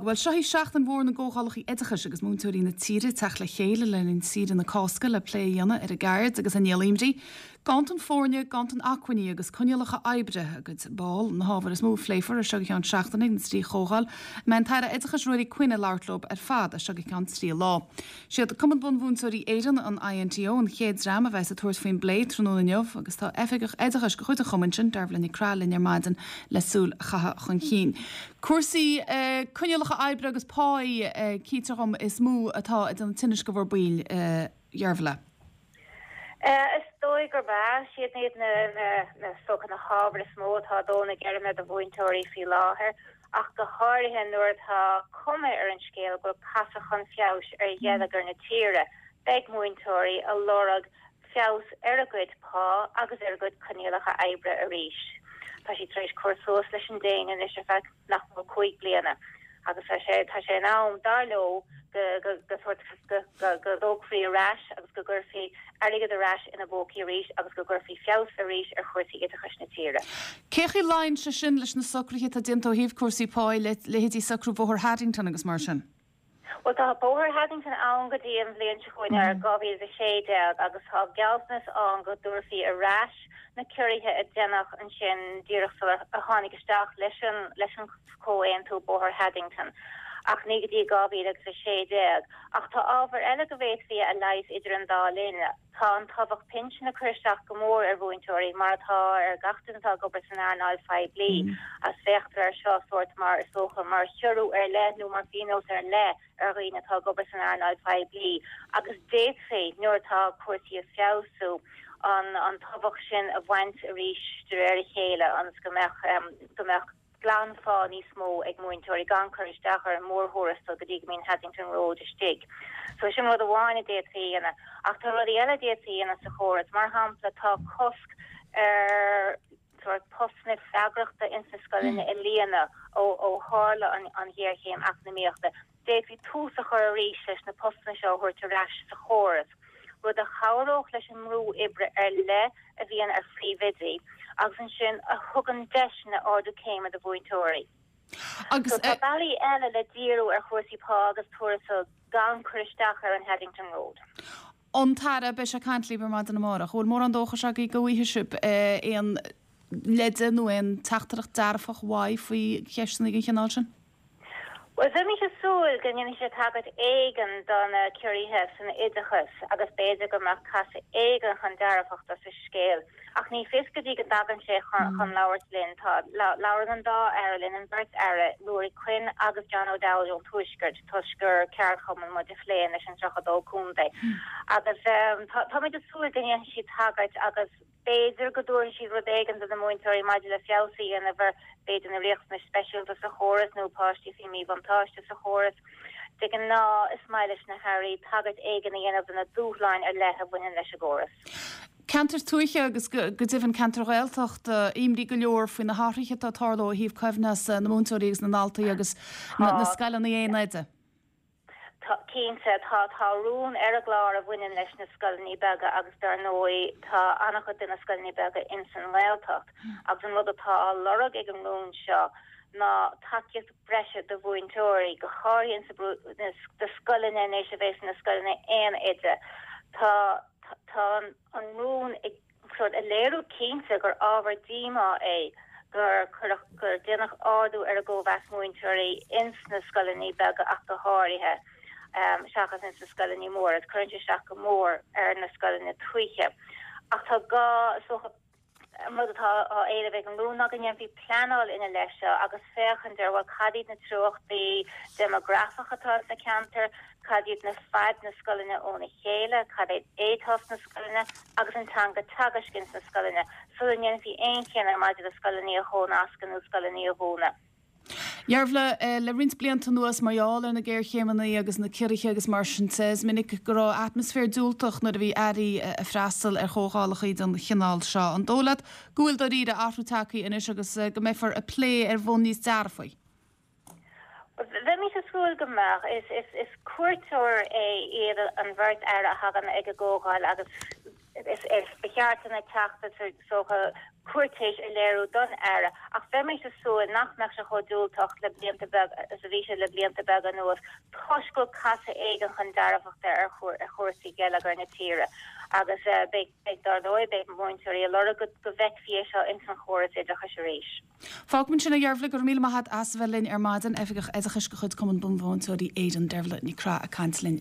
Bhuel, seo í seachtain mhór na gcomhdhálacha oideachais agus múinteoirí na tíre ag teacht le chéile le linn saoire na Cásca le plé a dhéanamh ar a gceird agus a ndíol imní. Ganntan foirne, ganntan acmhainní agus coinníollacha oibre a gcuid ball na hábhair is mó a phléifear as seo go ceann seachtaine ag na trí chomhdháil a mbeidh an tAire Oideachais Ruairí Quinn ag labhairt leo ar fad as seo go ceann trí lá. Siad Cumann Bunmhúinteoirí Éireann, an INTO, an chéad dream a bheas ag tabhairt faoin bplé tráthnóna inniu agus tá Oifigeach Oideachais de chuid an chumainn sin, Dearbhla Nic Craith, linn ar maidin le súil a chaitheamh chun cinn. Cúrsaí coinníollacha oibre agus páí, cítear dhom, is mó atá ag déanamh tinnis do bhur baill, a Dheirbhile. Is dóigh gurb ea. Siad iad na, is dócha, na hábhair is mó atá ag dó na geirme do mhúinteoirí faoi láthair, ach go háirithe nuair atá cuma ar an scéal go bhfuil casadh chun feabhais ar gheilleagar na tíre. Beidh múinteoirí ag lorg feabhas ar a gcuid pá agus ar a gcuid coinníollacha oibre arís. Tá siad tar éis cur suas leis an déine anois ar feadh nach mór 5 bliana agus tá sé tá sé in am, dar leo, go go go sórt go go go dtógfaí ar ais agus go gcuirfí airgead ar ais ina bpócaí arís agus go gcuirfí feabhas arís ar chúrsaí oideachais na tíre. Cé chaoi a luíonn sé sin leis na socruithe atá déanta ó thaobh cúrsaí pá, leithéidí socrú Bhóthar Haddington agus mar sin? Bhuel, tá Bóthar Haddington ann go dtí an bhliain seo chugainn, 2016, agus tá gealltanas ann go dtabharfaí ar ais na ciorruithe a deineadh ansin díreach sular tháinig isteach leis an leis an chomhaontú Bóthar Haddington, ach ní go dtí 2016. Ach tá ábhar eile go bhféadfaí a leigheas idir an dá linn. Tá an tobhach pinsin ag cur isteach go mór ar mhúinteoirí, mar atá ar gach duine atá ag obair san earnáil phoiblí, agus féachtar air seo sórt mar, is dócha, mar chiorrú ar leith nó mar phionós ar leith ar dhaoine atá ag obair san earnáil phoiblí, agus d'fhéadfaí, nuair atá cúrsaí ag feabhsú, an an tobhach sin a bhaint arís de réir a chéile ionas go mbeadh go mbeadh. glanphá níos mó ag múinteoirí gan cur isteach ar an mórthuarastal go dtí go mbíonn Haddington Road istigh. So sin rud amháin a d'fhéadfaí a dhéanamh. Ach tá rudaí eile a d'fhéadfaí a dhéanamh sa chóras. Mar shampla, tá cosc ar sórt postanna freagrachta ins na scoileanna a líonadh ó ó tharla an an ghéarchéim eacnamaíochta. D'fhéadfaí tús a chur arís leis na postanna seo a thabhairt ar ais sa chóras, rud a chabhródh leis an mbrú oibre ar leith a bhíonn ar phríomhoidí agus ansin a thugann deiseanna ardú céime do mhúinteoirí. Agus. So tá bealaí eile le díriú ar chúrsaí pá agus tuarastail gan cur isteach ar an Haddington Road. An tAire, beidh sé ag caint libh ar maidin amárach. An bhfuil mórán dóchais agaibh go bhfaighidh sibh aon leide nó aon teachtaireacht dearfach uaidh faoi cheisteanna den chineál sin? Bhuel, bheimis ag súil go ndéanfaidh sé tagairt éigin do na ciorruithe san oideachas agus b'fhéidir go mbeadh casadh éigin chun dearfachta sa scéal. Ach ní fios go dtí go dtagann sé chun labhairt linn. Tá, labhrann an dá aire linn, an bheirt aire, Ruairí Quinn agus John O'Dowd ón Tuaisceart, toisc gur ceardchumann muid a phléann leis an 32 contae. Agus táimid ag súil go ndéanfaidh siad tagairt agus. B'fhéidir go dtabharfaidh siad rud éigin do na múinteoirí maidir le feabhas a dhéanamh ar, b'fhéidir, na riachtanais speisialta sa chóras nó páistí faoi mhíbhuntáiste sa chóras. De ghnáth, is maith leis na hairí tagairt éigin a dhéanamh do na dúshláin ar leith a bhaineann leis an gcóras. Ceantair tuaithe agus go deimhin ceantair Ghaeltachta, imní go leor faoi na hathruithe atá ag tarlú ó thaobh coibhneas na múinteoirí agus na ndaltaí agus na scoileanna aon oide. Tá, cinnte. Tá, tá rún ar an gclár a bhaineann leis na scoileanna beaga agus dar ndóigh tá an-chuid de na scoileanna beaga ins an nGaeltacht agus an rud atá á lorg ag an rún seo ná tacaíocht breise do mhúinteoirí, go háirithe ins na do scoileanna anois a bheas ina scoileanna aon oide. Tá, tá an rún ag. sórt ag léiriú cinnte gur ábhar díomá é gur cuireadh, gur déanadh ardú ar an gcóimheas múinteoirí ins na scoileanna beaga ach go háirithe, seachas ins na scoileanna móra, agus cuireann sé isteach go mór ar na scoileanna tuaithe. Ach tá gá, is dócha, an rud atá á éileamh ag an rún ná go ndéanfaí pleanáil ina leith seo agus féachaint ar, bhuel, cad iad na treochtaí déimeagrafacha atá sna ceantair, cad iad na faid na scoileanna óna chéile, cad é éiteas na scoileanna agus an teanga teagaisc ins na scoileanna, sula ndéanfaí aon chinneadh maidir le scoileanna a chónascadh nó scoileanna a dhúnadh. Deirbhile, le roinnt blianta anuas, mar gheall ar na géarchéimeanna agus na ciorruithe agus mar sin de, is minic go raibh atmaisféar diúltach nuair a bhí airí ag freastal ar chomhdhálacha den chineál seo. An dóigh leat go bhfuil dáiríre athrú tagtha anois agus go mbeifear ag plé ar bhonn níos dearfaí? Bheimis ag súil go mbeadh. Is cuairteoir é iad an bheirt aire a thagann ag an gcomhdháil agus. Is ba cheart do na Teachtaí is dócha cúirtéis a léiriú don Aire ach bheimis ag súil nach mbeadh sé chomh diúltach le blianta beaga is a bhí sé le blianta beaga anuas toisc go bhfuil casadh éigin chun dearfachta ar chúrsaí geilleagair na tíre agus beidh, dar ndóigh, beidh múinteoirí ag lorg go bhfeicfí é seo ins an chóras oideachais arís. Fágfaimid ansin é, a Dheirbhile, go raibh míle maith agat as a bheith linn ar maidin. Oifigeach Oideachais de chuid Cumann Bunmhúinteoirí Éireann, Deirbhile Nic Craith ag caint linn.